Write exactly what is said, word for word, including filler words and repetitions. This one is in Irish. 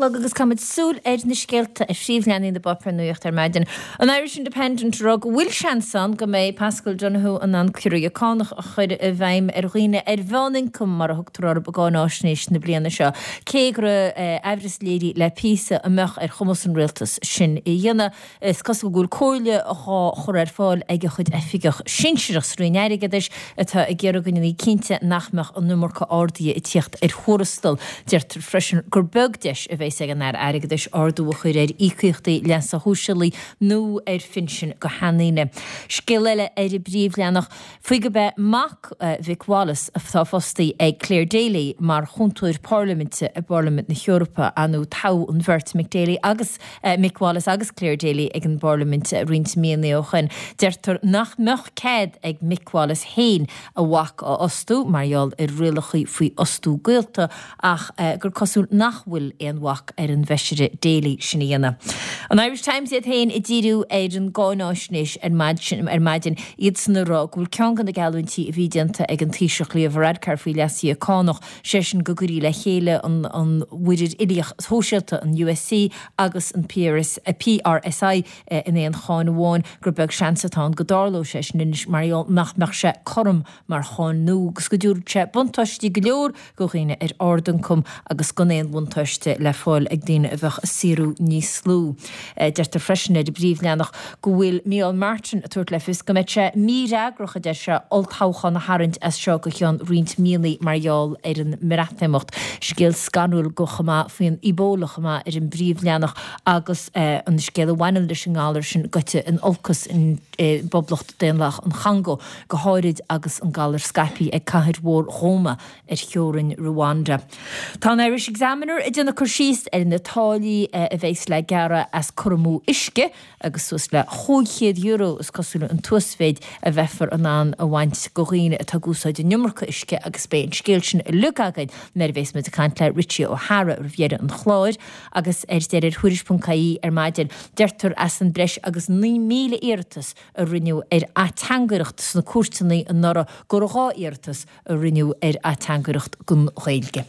Agus caithfimid súil ar na scéalta ar phríomhleathanaigh na bpáipéar nuachta ar maidin. An Irish Independent ag rá go bhfuil seans ann go mbeidh Paschal Donohoe in ann ciorruithe cánach a chur i bhfeidhm ar dhaoine ar mheánioncam mar a thugtar orthu i gcáináisnéis na bliana seo. Cé go raibh aimhreas léirithe le píosa an mbeadh ar chumas an rialtas sin a dhéanamh. Is cosúil go bhfuil comhairle á chur ar fáil ag a chuid oifigeach sinsearach sa Roinn Airgeadais atá ag iarraidh go ndéanfaí cinnte nach mbeadh an iomarca arduithe ag tíocht ar thuarastal. Deirtear freisin gur beag deis a bheas ag an Aire Airgeadais ardú a chur ar íocaíochtaí leasa shóisialaigh nó ar phinsin do sheandaoine. Scéal eile ar an bpríomhleathanach faoi gurb é mac Mhick Wallace atá fostaí ag Clare Daly mar chúntóir parlaiminte i bParlaimint na hEorpa nó toghadh an bheirt Mick Daly agus Mick Wallace agus Clare Daly ag an bParlaimint roinnt míonna ó shin. Deirtear nach mbeadh cead ag Mick Wallace féin a mhac a fhostú mar gheall ar rialacha faoi fhostú gaolta ach gur cosúil nach bhfuil aon bhac ar an bhfeisire Daly sin a dhéanamh. An Irish Times iad féin ag díriú ar an gcáináisnéis ar maidin ar maidin iadsan ag rá go bhfuil ceann de na geallúintí a bhí déanta ag an Taoiseach Leo Varadkar faoi leasuithe cánach, sé sin go gcuirí le chéile an an mhuirir uilíoch shóisialta, an USC agus an PRS, PRSI in aon cháin amháin, gur beag seans atá ann go dtarlódh sé sin anois mar gheall nach mbeadh sé cothrom mar cháin nua agus go dtabharfadh sé buntáistí go leor do dhaoine ar ardioncam agus gan aon bhuntáiste le fáil ag daoine a bheadh ag saothrú níos lú. Deirtear freisin ar an bpríomhleathanach go bhfuil Micheál Martin ag tabhairt le fios go mbeadh sé mífhreagrach, a deir sé, olltoghchán a tharraingt as seo go ceann roinnt míonna mar gheall ar an mBreatimeacht. Scéal scanrúil go chomh maith faoin Ebola chomh maith ar an bpríomhleathanach agus an scéal a bhaineann leis an ngalar sin gaibhte in olcas i bPoblacht Daonlathach an Chongó, go háirid agus an galar scaipthe ag cathair mhór Goma ar theorainn Rwanda. Tá an Irish Examiner ag déanamh cur síos ar na táillí a bheas le gearradh as cur amú uisce agus suas le chúig chéad euro is cosúil an t-uasmhéid a bheifear in ann a bhaint go dhaoine atá ag úsáid an iomarca uisce agus beidh an scéal sin uilig againn nuair a bheas muid ag caint le Richie O'Hara roimh dheireadh an chláir agus ar deireadh ar Thuairisc ponc ie ar maidin deirtear as an breis agus naoi míle iarratas a rinneadh ar ateangaireacht sna cúirteanna anuraidh gur dhá iarratas a rinneadh ar ateangaireacht don Ghaeilge.